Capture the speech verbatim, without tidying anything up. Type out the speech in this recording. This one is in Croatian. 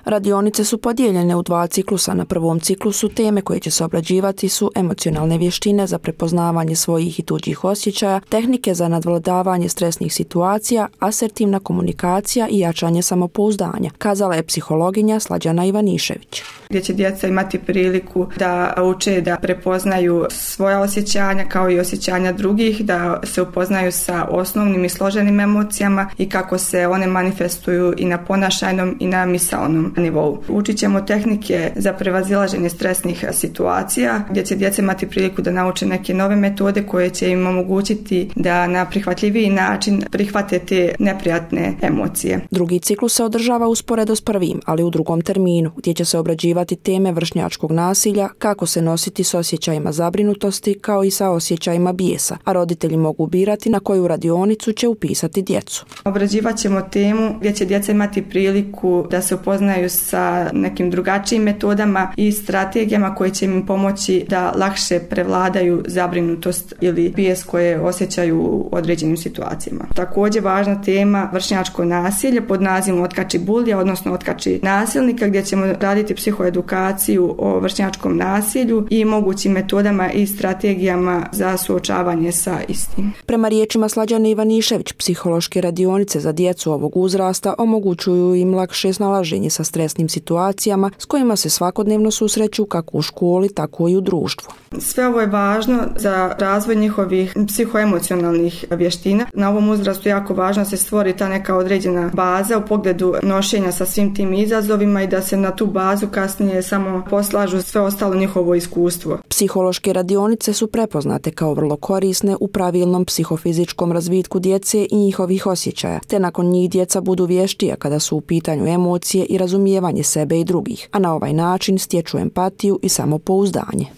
Radionice su podijeljene u dva ciklusa. Na prvom ciklusu teme koje će se obrađivati su emocionalne vještine za prepoznavanje svojih i tuđih osjećaja, tehnike za nadvladavanje stresnih situacija, asertivna komunikacija i jačanje samopouzdanja, kazala je psihologinja Slađana Ivanišević. Gdje će djeca imati priliku da uče da prepoznaju svoja osjećanja kao i osjećanja drugih, da se upoznaju sa osnovnim i složenim emocijama i kako se one manifestuju i na ponašajnom i na misaonom nivou. Učit ćemo tehnike za prevazilaženje stresnih situacija, gdje će djeca imati priliku da nauče neke nove metode koje će im omogućiti da na prihvatljiviji način prihvate te neprijatne emocije. Drugi ciklus se održava usporedo s prvim, ali u drugom terminu, gdje će se obrađivati teme vršnjačkog nasilja, kako se nositi s osjećajima zabrinutosti kao i sa osjećajima bijesa, a roditelji mogu birati na koju radionicu će upisati djecu. Obrađivat ćemo temu gdje će djeca imati priliku da se upoznaju sa nekim drugačijim metodama i strategijama koje će im pomoći da lakše prevladaju zabrinutost ili bijes koje osjećaju u određenim situacijama. Također važna tema vršnjačko nasilje pod nazivom Otkači bulja, odnosno Otkači nasilnika, gdje ćemo raditi psihoedukaciju o vršnjačkom nasilju i mogućim metodama i strategijama za suočavanje sa istim. Prema riječima Slađane Ivanišević, psihološke radionice za djecu ovog uzrasta omogućuju im lakše snalaženje sa stresnim situacijama s kojima se svakodnevno susreću kako u školi, tako i u društvu. Sve ovo je važno za razvoj njihovih psihoemocionalnih vještina. Na ovom uzrastu je jako važno da se stvori ta neka određena baza u pogledu nošenja sa svim tim izazovima i da se na tu bazu kasnije samo poslažu sve ostalo njihovo iskustvo. Psihološke radionice su prepoznate kao vrlo korisne u pravilnom psihofizičkom razvitku djece i njihovih osjećaja, te nakon njih djeca budu vještija kada su u pitanju emocije i razumijevanje sebe i drugih, a na ovaj način stječu empatiju i samopouzdanje.